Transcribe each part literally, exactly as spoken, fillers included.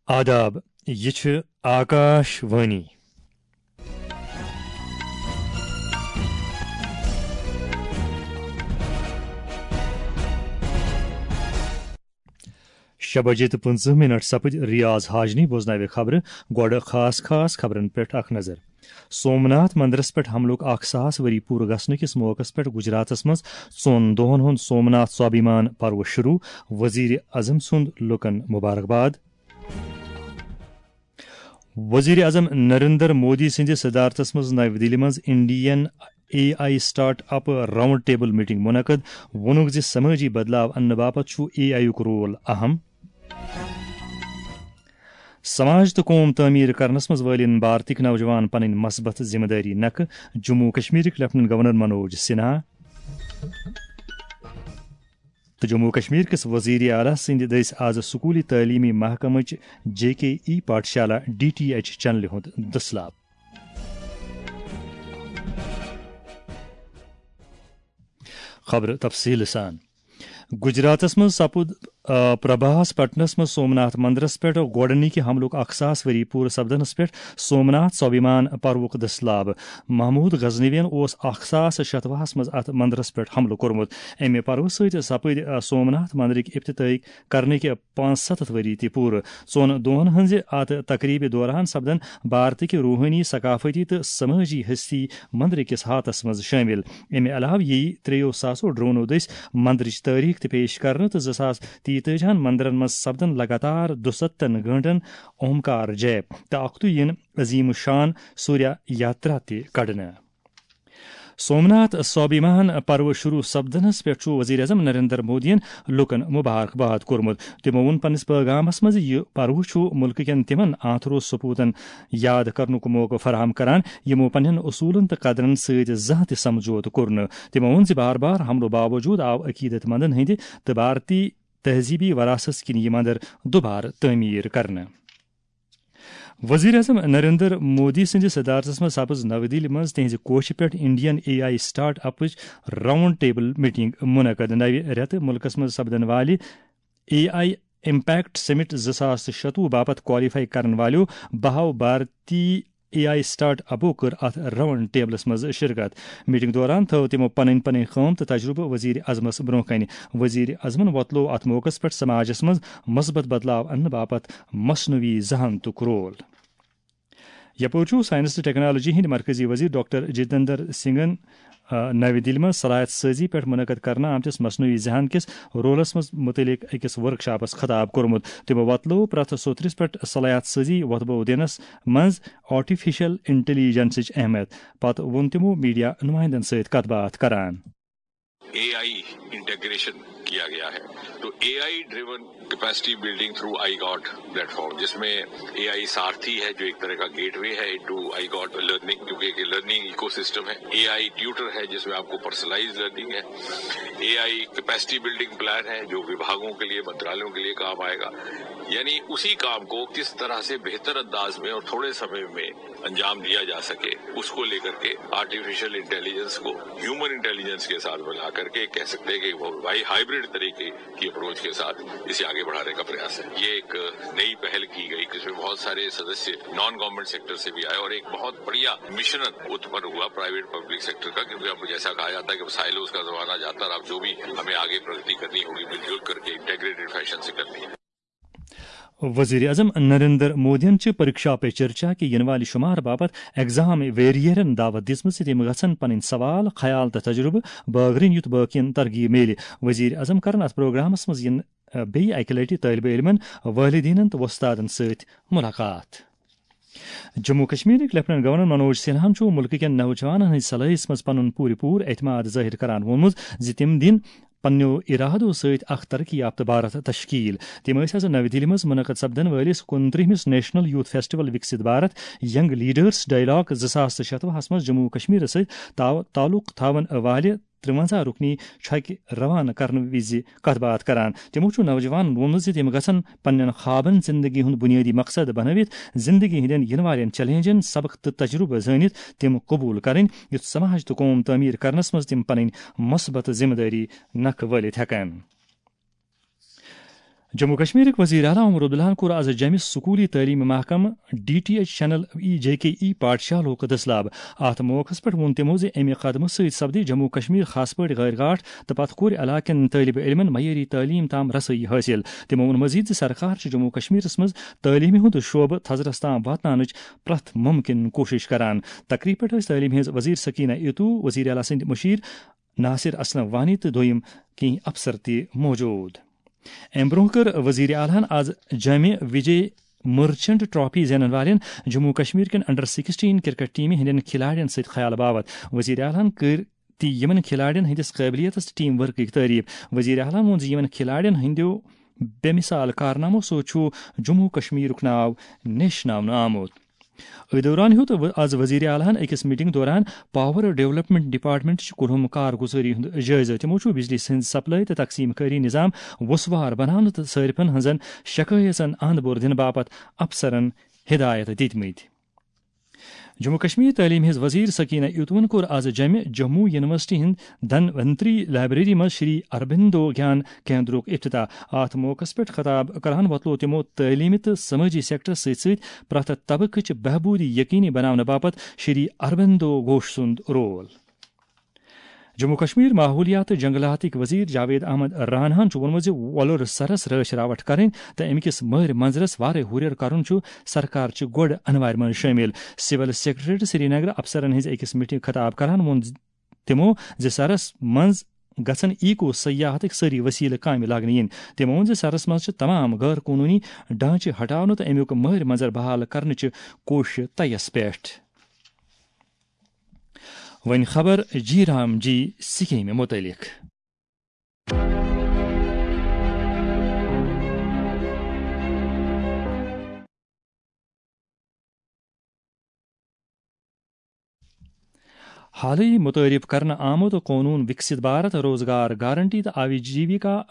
آداب، یہِ چھِ آکاش وانی۔ شےٚ بجے تہٕ پٕنٛژٕہ منٹ سپٕدۍ۔ ریاض حاجنی بوزناوِ خبرٕ۔ گۄڈٕ خاص خاص خبرن پٮ۪ٹھ اکھ نظر۔ سومناتھ مندرس پٮ۪ٹھ حملُک اکھ ساس ؤری پوٗرٕ گژھنہٕ کِس موقعس پٮ۪ٹھ گجراتس منٛز ژۄن دۄہن ہُنٛد سومناتھ سوابھیمان پرو شروع، وزیر اعظم سُنٛد لُکن مبارکباد۔ وزیر اعظم نریندر مودی سٕنٛدِ صدارتس منٛز نَوِ دِلہِ منٛز Indian A I start up round table meeting منعقد، ووٚنُکھ زِ سمٲجی بدلاو اننہٕ باپتھ چھُ اے آئی یُک رول اہم۔ سماج تہٕ قوم تعمیٖر کرنس منٛز وٲلِن بھارتٕکۍ نوجوان پنٕنۍ مثبت ذمہٕ دٲری نکھٕ، جموں و کشمیرٕکۍ لیفٹیننٹ گورنر منوج سنہا۔ تہٕ جموں و کشمیر کِس وزیر اعلیٰ سٕنٛدِ دٔسۍ آز سکوٗلی تعلیمی محکمٕچ جے کے ای پاٹھشالا ڈی ٹی ایچ چینلہِ ہُنٛد دٔسلاب۔ خبرٕ تفصیٖل سان۔ گجراتس منٛز سپُد، آ، پربھاس پٹنس منٛز سومناتھ مندرس پٮ۪ٹھ گۄڈنِکہِ حملُک اکھ ساس ؤری پوٗرٕ سپدنس پٮ۪ٹھ سومناتھ سوابھیمان پروُک دٔسلاب۔ محمود غزنوین اوس اکھ ساس شتوُہس منٛز اتھ مندرس پٮ۪ٹھ حملہٕ کوٚرمُت۔ امہِ پروٕ سۭتۍ سپٕدۍ، آ، سومناتھ مندرٕکۍ افتتاحٕکۍ کرنٕکۍ پانٛژھ ستتھ ؤری تہِ پوٗرٕ۔ ژۄن دۄہن ہٕنٛزِ اتھ تقریبہِ دوران سپدن بھارتٕکۍ روحٲنی، ثقافتی تہٕ سمٲجی ہستی مندرٕ کِس ہاتس منٛز شٲمِل۔ امہِ علاوٕ یِیہِ ترٛیٚیو ساسو ڈرونو دٔسۍ مندرٕچ تٲریخ تہِ پیش کرنہٕ تہٕ زٕ ساس تیتٲجی ہن مندرن منٛز سپدن لگاتار دُستتن گٲنٹن اومکار جیپ تہٕ اکھتُے یِن عظیم الشان سوریہ یاترا تہِ کڑنہٕ۔ سومناتھ سوابھیمان پروٕ شروع سپدنس پٮ۪ٹھ چھُ وزیر اعظم نریندر مودیَن لوٗکَن مبارکباد کوٚرمُت۔ تِمَو ووٚن پننِس پیغامس منٛز، یہِ پروٕ چھُ مُلکہٕ کٮ۪ن تِمَن آنتھرو سپوٗتَن یاد کرنُک موقعہٕ فراہم کران، یِمَو پننٮ۪ن اصوٗلن تہٕ قدرن سۭتۍ زانٛہہ تہِ سمجھوتہٕ کوٚر نہٕ۔ تِمَو ووٚن زِ بار بار حملہٕ باوجود آو عقیدت مندن ہٕنٛدِ تہٕ بھارتی تہذیبی وراثت کِنۍ یہِ مندر دوبارٕ تعمیٖر کرنہٕ۔ وزیر اعظم نریندر مودی سٕنٛدِ صدارتس منٛز سپٕز نَوِ دِلہِ منٛز تِہنٛزِ کوشہِ پٮ۪ٹھ انڈین اے آئی سٹارٹ اپٕچ راؤنڈ ٹیبل میٹنگ منعقد۔ نَوِ رٮ۪تہٕ مُلکس منٛز سپدن والہِ اے آئی امپیکٹ سمٹ زٕ ساس تہٕ شتوُہ باپتھ کوالیفائی کرن والیو بہو بھارتی اے آئی سٹارٹ اپو کٔر اتھ راؤنڈ ٹیبلس منٛز شرکت۔ میٹنگ دوران تھٲو تِمو پنٕنۍ پنٕنۍ کٲم تہٕ تجربہٕ وزیر اعظمس برونٛہہ کنہِ۔ وزیر اعظمن وۄتلوو اتھ موقعس پٮ۪ٹھ سماجس منٛز مثبت بدلاو اننہٕ باپتھ مصنوعی ذہانتُک رول۔ یپٲرۍ چھُ سائنس تہٕ ٹیکنالوجی ہٕنٛدۍ مرکزی وزیر ڈاکٹر جتیندر سنگھن، آ، نَوِ دِلہِ منٛز صلاحیت سٲزی پٮ۪ٹھ منعقد کرنہٕ آمتِس مصنوعی ذہان کِس رولس منٛز متعلق أکِس ورکشاپس خطاب کوٚرمُت۔ تِمو وۄتلوو پرٛٮ۪تھ سوٚترِس پٮ۪ٹھ صلاحیت سٲزی وۄتھبو دِنس منٛز آرٹیفیشل انٹیلیجنسٕچ اہمیت۔ پتہٕ ووٚن تِمو میڈیا نمائندن سۭتۍ کتھ باتھ کران۔ اے آئی انٹیگریشن کیا گیا ہے، تو A I driven capacity building through iGOT platform, جس میں اے آئی سارتھی ہے، جو ایک طرح کا گیٹ وے ہے انٹو آئی گاٹ لرننگ، کیونکہ ایک لرننگ ایکو سسٹم ہے۔ اے آئی ٹیوٹر ہے، جس میں آپ کو پرسنلائز لرننگ ہے۔ A I capacity building plan ہے، جو وبھاگوں کے لیے، منترالیوں کے لیے کام آئے گا۔ یعنی اسی کام کو کس طرح سے بہتر انداز میں اور تھوڑے سمے میں انجام دیا جا سکے، اس کو لے کر کے آرٹیفیشل انٹیلیجنس کو ہیومن انٹیلیجنس کے ساتھ ملا کر کے کہہ سکتے ہیں کہ وہ بھائی ہائبرڈ طریقے کی اپروچ کے ساتھ اسے آگے بڑھانے کا پریاس ہے۔ یہ ایک نئی پہل کی گئی، جس میں بہت سارے سدسیہ نان گورنمنٹ سیکٹر سے بھی آئے اور ایک بہت بڑھیا مشن اتپن ہوا پرائیویٹ پبلک سیکٹر کا، کیونکہ اب جیسا کہا جاتا ہے کہ سائلوز کا زمانہ جاتا ہے اور اب جو بھی ہمیں آگے پرگتی کرنی ہوگی، مل جل کر کے انٹیگریٹڈ فیشن سے کرنی ہے۔ وزیر اعظم نریندر مودیَن چھِ پریکشا پے چرچا کہِ یِنہٕ والہِ شُمارٕ باپتھ ایگزام ویریئرَن دعوت دِژمٕژ زِ تِم گژھن پنٕنۍ سوال، خیال تہٕ تجربہٕ بٲگرٕنۍ، یُتھ بٲقین ترغیب میلہِ۔ وزیر اعظم کرن اتھ پروگرامس منٛز یِن، آ، بیٚیہِ اکہِ لٹہِ طٲلبہِ علمن، والدینن تہٕ وۄستادن سۭتۍ ملاقات۔ جموں و کشمیرٕکۍ لیفٹیننٹ گورنر منوج سنہاہن چھُ مُلکہٕ کٮ۪ن نوجوانن ہٕنٛزِ صلٲحیژ منٛز پنُن پوٗرٕ پوٗرٕ اعتماد ظٲہِر کران ووٚنمُت زِ تِم دِن پننیو ارادو سۭتۍ اکھ ترقی یافتہٕ بھارت تشکیل۔ تِم ٲسۍ آز نَوِ دِلہِ منٛز منعقد سپدن وٲلِس کُنترٛہمِس national youth festival Viksit Bharat young leaders dialogue زٕ ساس تہٕ شتوُہس منٛز جموں و کشمیرس سۭتۍ تعاو-، تعلق تھاوَن والہِ ترٛوَنزاہ رُکنی چھۄکہِ روانہٕ کرنہٕ وِزِ کتھ باتھ کران۔ تِمو چھُ نوجوانن ووٚنمُت زِ تِم گژھن پننٮ۪ن خوابن زندگی ہُنٛد بُنیٲدی مقصد بنٲوِتھ، زندگی ہٕنٛدٮ۪ن یِنہٕ والٮ۪ن چیلنجن سبق تہٕ تجربہٕ زٲنِتھ تِم قبول کرٕنۍ، یُتھ سماج تہٕ قوم تعمیٖر کرنس منٛز تِم پنٕنۍ مثبت ذمہٕ دٲری نکھٕ وٲلِتھ ہٮ۪کن۔ جموں کشمیرٕکۍ وزیر اعلیٰ عمر عبداللہَن کوٚر از جمہِ سکوٗلی تعلیٖم محکمہٕ ڈی ٹی ایچ چینل ای جے کے ای پاٹھشالہُک دٔسلاب۔ اتھ موقعس پٮ۪ٹھ ووٚن تِمو زِ امہِ قدمہٕ سۭتۍ سپدِ جموں کشمیر خاص پٲٹھۍ غٲرۍ گاٹھ تہٕ پتہٕ کورِ علاقہٕ کٮ۪ن طٲلبہِ علمن معیٲری تعلیٖم تام رسٲیی حٲصِل۔ تِمو ووٚن مزید زِ سرکار چھِ جموں کشمیرس منٛز تعلیٖمہِ ہُنٛد شعبہٕ تھزرس تام واتناونٕچ پرٛٮ۪تھ مُمکِن کوٗشش کران۔ تقریٖب پٮ۪ٹھ ٲسۍ تعلیٖم ہٕنٛز وزیر سکینہ ایتو، وزیر اعلیٰ سٕنٛدۍ مُشیر ناصر اسلم وانی تہٕ دوٚیِم کینٛہہ افسر تہِ موجود۔ امہِ برونٛہہ کٔر وزیر اعلیٰ ہن از جامع وجے مرچنٹ ٹرافی زینن والٮ۪ن جموں کشمیر کٮ۪ن انڈر سکسٹین کرکٹ ٹیمہِ ہٕنٛدٮ۪ن کھلاڑٮ۪ن سۭتۍ خیال باوت۔ وزیر اعلیٰ ہن کٔر تہِ یِمن کھلاڑٮ۪ن ہٕنٛدِس قٲبلیتس تہٕ ٹیم ورکٕکۍ تعریف۔ وزیر اعلیٰ ہن ووٚن زِ یِمن کھلاڑٮ۪ن ہٕنٛدیو بے مثال کارنامو سۭتۍ چھُ جموں کشمیرُک ناو نیشناونہٕ آمُت۔ أتھۍ دوران ہیوٚت و-، از وزیر اعلیٰ ہن أکِس میٹنگ دوران پاور ڈیولپمنٹ ڈپارٹمنٹٕچ کُلہُم کارگُزٲری ہُنٛد جٲیزٕ۔ تِمو چھُ بجلی ہٕنٛز سپلائی تہٕ تقسیٖم کٲری نظام وسوار بناونہٕ تہٕ صٲرفن ہٕنٛزن شکایژن اند بور دِنہٕ باپتھ افسرن ہدایت دِتمٕتۍ۔ جموں کشمیر تعلیٖم ہٕنٛز وزیر سکینہ ایتوَن کوٚر از جمہِ جموں یونیورسٹی ہٕنٛز دھنونتری لائبریری منٛز شری اروبندو گیان کیندرُک افتتاح۔ اتھ موقعس پٮ۪ٹھ خطاب کران وۄتلوو تِمو تعلیٖمہِ تہٕ سمٲجی سیکٹرس سۭتۍ سۭتۍ پرٛٮ۪تھ طبقٕچ بہبوٗدی یقینی بناونہٕ باپتھ شری اروبندو گھوش سُنٛد رول۔ جموں کشمیر ماحولیات تہٕ جنگلاتٕکۍ وزیر جاوید احمد راناہن چھُ ووٚنمُت زِ وۄلُر سرس رٲچھ راوٹھ کرٕنۍ تہٕ اَمہِ کِس مٲرۍ منظرس وارے ہُرٮ۪ر کرُن چھُ سرکار چہِ گۄڈٕ انوارِ منٛز شٲمِل۔ سول سیکرٹریٹ سرینگر افسرن ہٕنٛزِ أکِس میٹنگ خطاب کران ووٚن زِ تِمو زِ سرس منٛز گژھن ایکو سیاحتٕکۍ سٲری وسیلہٕ کامہِ لاگنہٕ یِنۍ۔ تِمو ووٚن زِ سرس منٛز چھِ تمام غٲر قونوٗنی ڈھانچہٕ ہٹاونہٕ تہٕ اَمیُک مٲرۍ منظر بحال کرنٕچہِ کوٗششہِ تیس پٮ۪ٹھ۔ وۄنۍ خبر جی رام جی سکیمہِ متعلق۔ حالٕے متعارف کرنہٕ آمُت قونوٗن وِکسِت بھارت، روزگار گارنٹی تہٕ آجیٖوِکا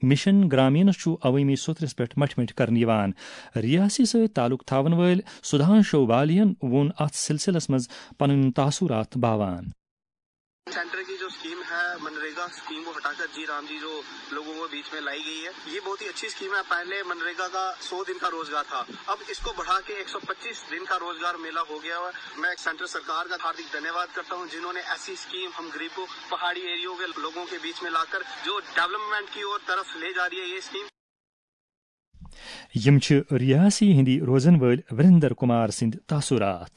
مِشن گرامینس چھُ عوٲمی سوٚترِس پٮ۪ٹھ مٹھِ مٹھِ کرنہٕ یِوان۔ ریاستی سۭتۍ تعلق تھاون وٲلۍ سدھانشو بالیَن ووٚن اتھ سلسلس منٛز پنٕنۍ تاثرات باوان۔ सेंटर की जो स्कीम है मनरेगा स्कीम, वो हटाकर जी राम जी जो लोगों के बीच में लाई गई है, ये बहुत ही अच्छी स्कीम है। पहले मनरेगा का सौ दिन का रोजगार था, अब इसको बढ़ा के एक सौ पच्चीस दिन का रोजगार मेला हो गया है। मैं सेंटर सरकार का हार्दिक धन्यवाद करता हूं, जिन्होंने ऐसी स्कीम हम गरीबों, पहाड़ी एरियो के लोगों के बीच में लाकर जो डेवलपमेंट की ओर तरफ ले जा रही है ये स्कीम। یِم چھِ ریاسی ہٕنٛدۍ روزن وٲلۍ وریندر کمار سٕنٛدۍ تاثرات۔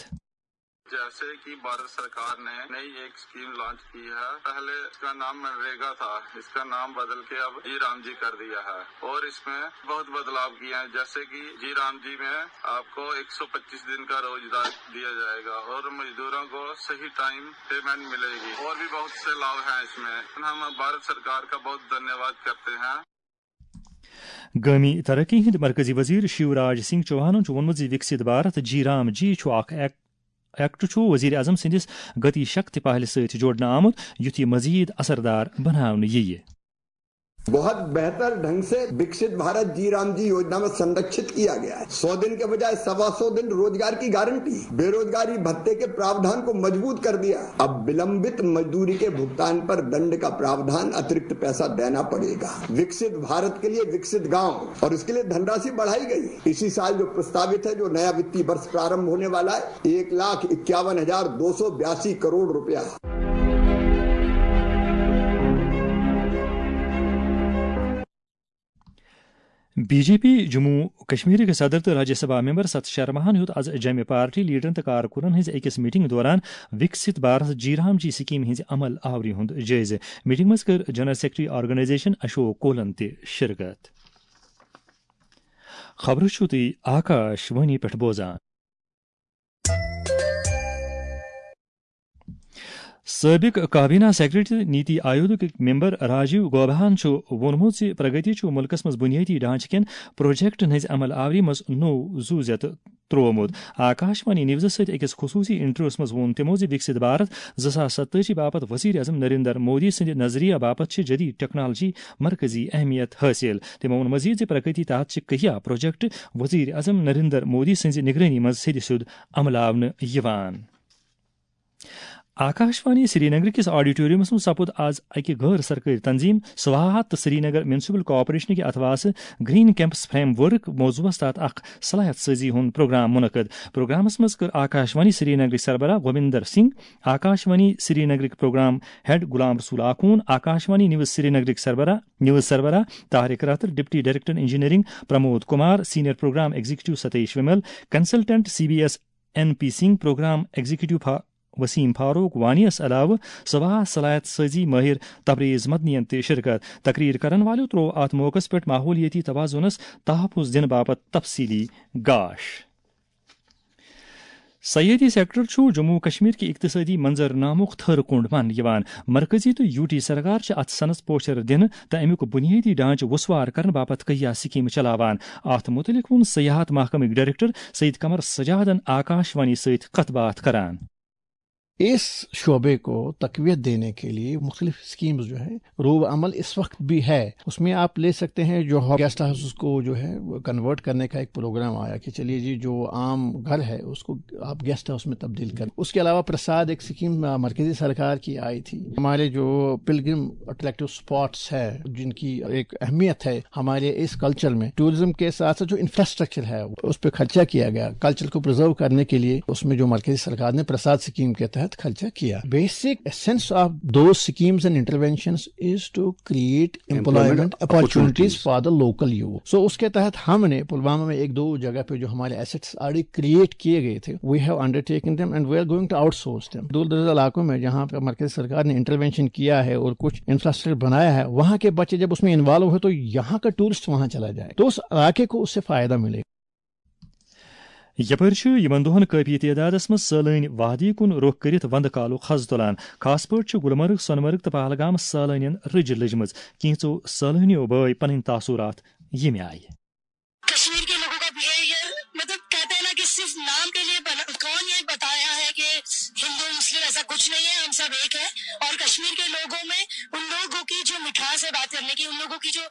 جیسے کہ بھارت سرکار نے نئی ایک اسکیم لانچ کی ہے۔ پہلے اس کا نام منریگا تھا، اس کا نام بدل کے اب جی رام جی کر دیا ہے اور اس میں بہت بدلاؤ کیے ہیں، جیسے کہ جی رام جی میں آپ کو ایک سو پچیس دن کا روزگار دیا جائے گا اور مزدوروں کو صحیح ٹائم پیمنٹ ملے گی اور بھی بہت سے لاؤ ہیں اس میں۔ ہم بھارت سرکار کا بہت دھنیہ واد کرتے ہیں۔ گٲمی ترقی ہٕنٛدۍ مرکزی وزیر شیوراج سنگھ چوہانن چھُ ووٚنمُت زِ وِکسِت بھارت جی رام جی چھُ اکھ ایک-، ایکٹ چھُ وزیر اعظم سٕنٛدِس گتی شکتی پہلہِ سۭتۍ جوڑنہٕ آمُت، یُتھ یہِ مزید اثردار بناونہٕ یِیہِ۔ बहुत बेहतर ढंग से विकसित भारत जी राम जी योजना में संरक्षित किया गया है। सौ दिन के बजाय सवा सौ दिन रोजगार की गारंटी, बेरोजगारी भत्ते के प्रावधान को मजबूत कर दिया। अब विलंबित मजदूरी के भुगतान पर दंड का प्रावधान, अतिरिक्त पैसा देना पड़ेगा। विकसित भारत के लिए विकसित गांव, और इसके लिए धनराशि बढ़ाई गई। इसी साल जो प्रस्तावित है, जो नया वित्तीय वर्ष प्रारंभ होने वाला है, एक लाख इक्यावन हजार दो सौ बयासी करोड़ रुपया। بی جے پی جموں کشمیرٕکۍ صدر تہٕ راجیہ سبھا ممبر ستھ شرماہن ہیوٚت از جمہِ پارٹی لیڈرن تہٕ کارکُنن ہٕنٛزِ أکِس میٹنگ دوران وِکسِت بھارت جی رام جی سکیمہِ ہٕنٛزِ عمل آوری ہُنٛد جٲیزٕ۔ میٹنگ منٛز کٔر جنرل سیکرٹری آرگنائزیشن اشوک کولن تہِ شرکت۔ خبرٕ چھِو تُہۍ آکاش وانی پٮ۪ٹھ بوزان۔ سٲبِق کابینہ سیکرٹری تہٕ نیتی آیوگٕکۍ ممبر راجیو گوباہن چھُ ووٚنمُت زِ پرگتی چھُ مُلکَس منٛز بُنیٲدی ڈھانچہٕ کٮ۪ن پروجیکٹَن ہٕنٛزِ عمل آوری منٛز نوٚو زُو زیتہٕ ترٛوومُت۔ آکاش وانی نیوزَس سۭتۍ أکِس خصوٗصی انٹرویوَس منٛز ووٚن تِمَو زِ وِکسِت بھارت زٕ ساس ستٲجی باپتھ وزیر اعظم نریندر مودی سٕنٛدِ نظریہ باپتھ چھِ جدید ٹیکنالوجی مرکزی اہمیت حٲصِل۔ تِمَو ووٚن مزید زِ پرگتی تحت چھِ کہیا پروجیکٹ وزیر اعظم نریندر مودی سٕنٛزِ نگرٲنی منٛز سیٚدِ سیوٚد عملاونہٕ یِوان۔ آکاشوانی سرینگر کِس آڈیٹوریمس منٛز سپُد آز اکہِ غٲر سرکٲرۍ تنظیم سواہات تہٕ سرینگر میونسپل کارپوریشن کہِ اتھواسہٕ گرین کیمپس فریم ورک موضوعس تحت اکھ صلاحیت سٲزی ہُنٛد پروگرام منعقد۔ پروگرامس منٛز کٔر آکاشوانی سرینگرٕکۍ سربراہ گوبندر سنگھ، آکاشوانی سرینگرٕکۍ programme head Ghulam Rasool Akhoon, Akashvani news سرینگرٕکۍ سربراہ نیوز سربراہ Tariq Rather, deputy director engineering Pramod Kumar, senior programme executive Satish Vimal, consultant C B S N P Singh, programme executive فا-، وسیم فاروق وانیس علاوٕ سواہ صلاحیت سٲزی مٲہر تبریز مدنین تہِ شرکت۔ تقریر کرن والٮ۪و تروو اتھ موقعس پٮ۪ٹھ ماحولیٲتی توازنس تحفظ دِنہٕ باپتھ تفصیلی گاش۔ سیٲحتی سیکٹر چھُ جموں و کشمیر کہِ اقتصٲدی منظرنامُک تھٔر کُنڈ ماننہٕ یِوان۔ مرکزی تہٕ یوٗ ٹی سرکار چھِ اتھ صنعتس پوچھر دِنہٕ تہٕ امیُک بُنیٲدی ڈھانچہٕ وُسوار کرنہٕ باپتھ کہیا سکیمہٕ چلاوان۔ اتھ مُتعلق ووٚن سیاحت محکمٕکۍ ڈائریکٹر سید قمر سجادن آکاشوانی سۭتۍ کتھ باتھ کران۔ اس شعبے کو تقویت دینے کے لیے مختلف اسکیمز جو ہے، روب عمل اس وقت بھی ہے۔ اس میں آپ لے سکتے ہیں جو گیسٹ ہاؤسز کو جو ہے کنورٹ کرنے کا ایک پروگرام آیا کہ چلیے جی، جو عام گھر ہے اس کو آپ گیسٹ ہاؤس میں تبدیل کریں۔ اس کے علاوہ پرساد ایک سکیم مرکزی سرکار کی آئی تھی۔ ہمارے جو پلگرم اٹریکٹیو اسپاٹس ہے، جن کی ایک اہمیت ہے ہمارے اس کلچر میں، ٹورزم کے ساتھ ساتھ جو انفراسٹرکچر ہے اس پہ خرچہ کیا گیا، کلچر کو پرزرو کرنے کے لیے اس میں جو مرکزی سرکار نے پرساد سکیم کے تحت خرچہ کیا۔ Basic essence of those schemes and interventions is to create employment opportunities for the local youth. So اس کے تحت ہم نے پلوامہ میں ایک دو جگہ پہ جو ہمارے ایسٹس آلریڈی کریٹ کیے گئے تھے، we have undertaken them and we are going to outsource them. دور دراز علاقوں میں جہاں پہ مرکزی سرکار نے انٹروینشن کیا ہے اور کچھ انفراسٹرکچر بنایا ہے، وہاں کے بچے جب اس میں انوالو ہوئے تو یہاں کا ٹورسٹ وہاں چلا جائے تو اس علاقے کو اس سے فائدہ ملے۔ یپٲرۍ چھُ یِمن دۄہن کٲفی تعدادس منٛز سٲلٲنۍ وادی کُن رُخ کٔرِتھ وندٕ کالُک حض تُلان۔ خاص پٲٹھۍ چھُ گلمرگ، سۄنہٕ مرگ تہٕ پہلگامس سٲلٲنٮ۪ن رٕج لٔجمٕژ۔ کینٛژو سٲلٲنیو بٲوۍ پنٕنۍ تاثرات ییٚمہِ آیہِ۔ کشمیر کے لوگوں کا بہیویئر، مطلب، کہتے ہیں نا کہ صرف نام کے لیے بنا، کون یہ بتایا ہے کہ ہندو مسلم ایسا کچھ نہیں ہے، ہم سب ایک ہیں۔ اور کشمیر کے لوگوں میں ان لوگوں کی جو مٹھاس ہے بات کرنے کی، ان لوگوں کی جو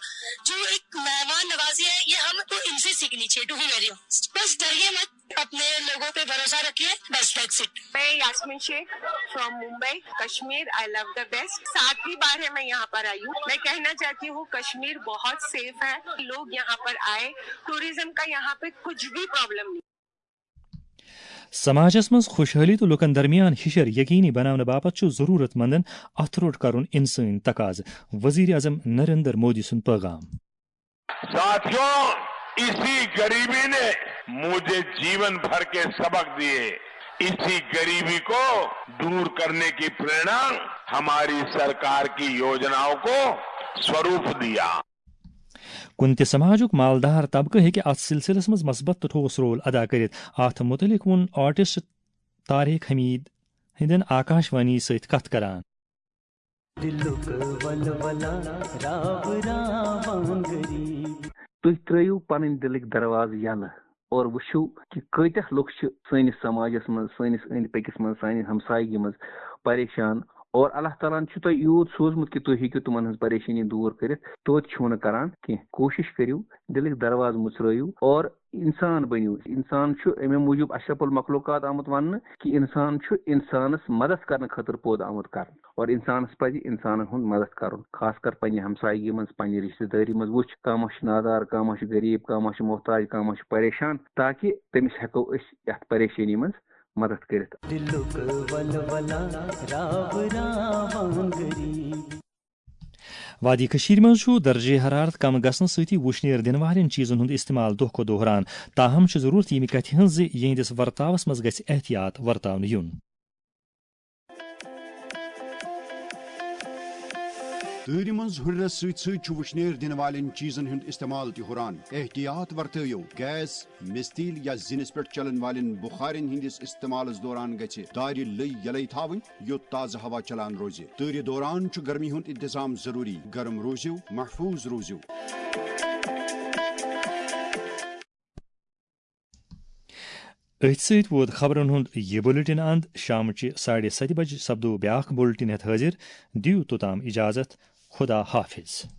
جو ایک مہمان نوازی ہے، یہ ہم تو ان سے سیکھنی چاہیے، ٹو بی ویری آنسٹ۔ بس ڈریے مت، اپنے لوگوں پہ بھروسہ رکھیے، بس دیٹس اٹ۔ میں Yasmin Sheikh from Mumbai, Kashmir, I love the best. ساتویں بار ہے میں یہاں پر آئی ہوں۔ میں کہنا چاہتی ہوں کشمیر بہت سیف ہے، لوگ یہاں پر آئے، ٹورزم کا یہاں پہ کچھ بھی پرابلم نہیں۔ سماجس منٛز خوشحٲلی تہٕ لوٗکن درمیان ہِشر یقینی بناونہٕ باپتھ چھُ ضروٗرت مندن اتھٕ روٚٹ کرُن انسٲنی تقاضہٕ، وزیر اعظم نریندر مودی سُنٛد پیغام۔ साथियों, इसी गरीबी ने मुझे जीवन भर के सबक दिए। इसी गरीबी को दूर करने की प्रेरणा हमारी सरकार की योजनाओं को स्वरूप दिया। کُنہِ تہِ سماجُک مالدار طبقہٕ ہیٚکہِ اتھ سلسلس منٛز مثبت تہٕ ٹھوس رول ادا کٔرِتھ۔ اتھ مُتعلق ووٚن آرٹسٹ طارق حمید ہٕنٛدٮ۪ن آکاشوانی سۭتۍ کتھ کران۔ تُہۍ ترٲیِو پنٕنۍ دِلٕکۍ دروازٕ یَلہٕ اور وٕچھِو کہِ کۭتیاہ لُکھ چھِ سٲنِس سماجس منٛز، سٲنِس أنٛدۍ پٔکِس منٛز، سانہِ ہمسایگی منٛز پریشان۔ اور اللہ تعالیٰ ہن چھُ تۄہہِ یوٗت سوٗزمُت کہِ تُہۍ ہیٚکِو تِمن ہٕنٛز پریشٲنی دوٗر کٔرِتھ، توتہِ چھُو نہٕ کران کینٛہہ۔ کوٗشِش کٔرِو، دِلٕکۍ دروازٕ مُژرٲیِو اور انسان بٔنِو۔ انسان چھُ اَمے موٗجوٗب اشرف المخلوقات آمُت وننہٕ کہِ انسان چھُ انسانس مدد کرنہٕ خٲطرٕ پٲدٕ آمُت کرنہٕ۔ اور انسانس پزِ انسانن ہُنٛد مدد کرُن، خاص کر پننہِ ہمسایگی منٛز، پننہِ رشتہٕ دٲری منٛز۔ وٕچھ، کانٛہہ ما چھُ نادار، کانٛہہ ما چھُ غریب، کانٛہہ ما چھُ محتاج، کانٛہہ ما چھُ پریشان، تاکہِ تٔمِس ہٮ۪کو أسۍ یتھ پریشٲنی منٛز مدد کٔرِتھ۔ وادی کٔشیٖرِ منٛز چھُ درجہ حرارت کم گژھنہٕ سۭتی وُشنیر دِنہٕ والٮ۪ن چیٖزن ہُنٛد استعمال دۄہ کھۄتہٕ دۄہ ہُران۔ تاہم چھِ ضروٗرت ییٚمہِ کتھِ ہٕنٛز زِ یِہنٛدِس ورتاوس منٛز گژھِ احتیاط ورتاونہٕ یُن۔ تۭرِ منٛز ہُرٮ۪رس سۭتۍ سۭتۍ چھُ وُشنیر دِنہٕ والٮ۪ن چیٖزن ہُنٛد استعمال تہِ ہُران۔ احتیاط ورتٲوِو، گیس، مِستیٖل یا زِنِس پٮ۪ٹھ چلن والٮ۪ن بُخارٮ۪ن ہٕنٛدِس استعمالس دوران گژھِ دارِ لٔے یلے تھاوٕنۍ، یوٚت تازٕ ہوا چلان روزِ۔ تۭرِ دوران چھُ گرمی ہُنٛد انتظام ضروٗری۔ گرم روٗزِو، محفوٗظ روٗزِو۔ أتھۍ سۭتۍ ووت خبرن ہُنٛد یہِ بُلٹن اند۔ شامچہِ ساڑِ ستہِ بجہِ سپدو بیاکھ بُلٹن ہٮ۪تھ حٲضِر۔ دِیِو توٚتام اجازت۔ خدا حافظ۔